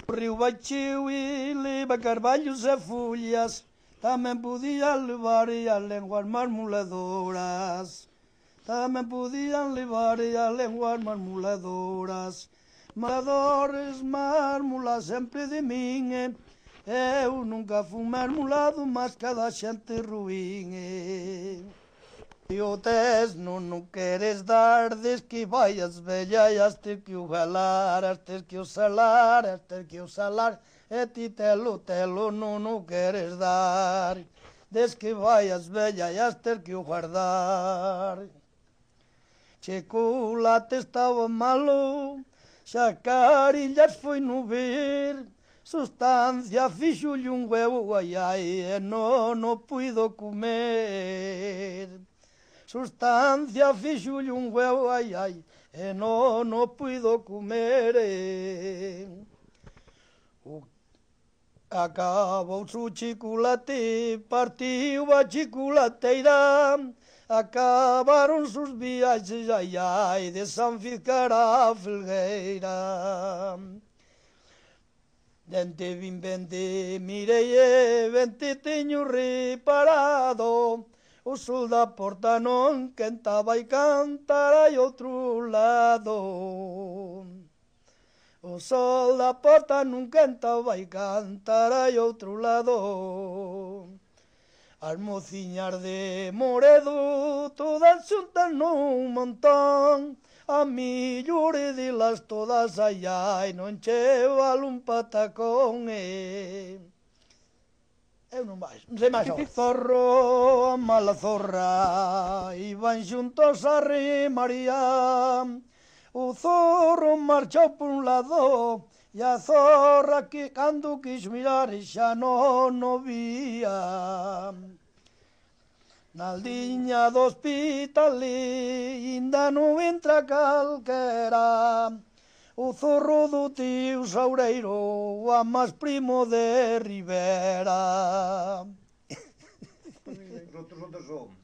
Río Baixío e leva carballos e follas, tamén podían levar as lenguas marmoladoras. Tamén podían levar as lenguas marmoladoras. Marmoladores, marmolas sempre de min, eu nunca fui marmolado, mas cada xente ruín. E o tes non queres dar, des que vai as vellas, has ter que o galar, has ter que o salar, has ter que o salar, e ti telo non queres dar, des que vai as vellas, has ter que o guardar. Chocolate estaba malo, xa carillas foi no ver, sustancia fixolle un huevo, ai ai, e non o puido comer. Sustancia fixolle un huevo, ai ai, e non o puido comer. Acabouse o chocolate, partiu a chocolateira, acabaron os viaxes, ai ai, de San Ficara a Felgueira. Vente, vin, vente, mirei e vente teño reparado, o sol da porta non quentaba e cantara e outro lado. O sol da porta non quentaba e cantara e outro lado. As mociñas de Moredo todas xuntas nun montón, a millor delas todas, ai ai, non che vale un patacón. Eu non sei máis. O zorro, a mala zorra, iban xuntos a remaría. O zorro marchou por un lado, e a zorra que cando quis mirar xa non o vía. Na aldiña do hospital inda non entra calquera, o zorro do tío Saureiro, o amás primo de Rivera. Outros onde son?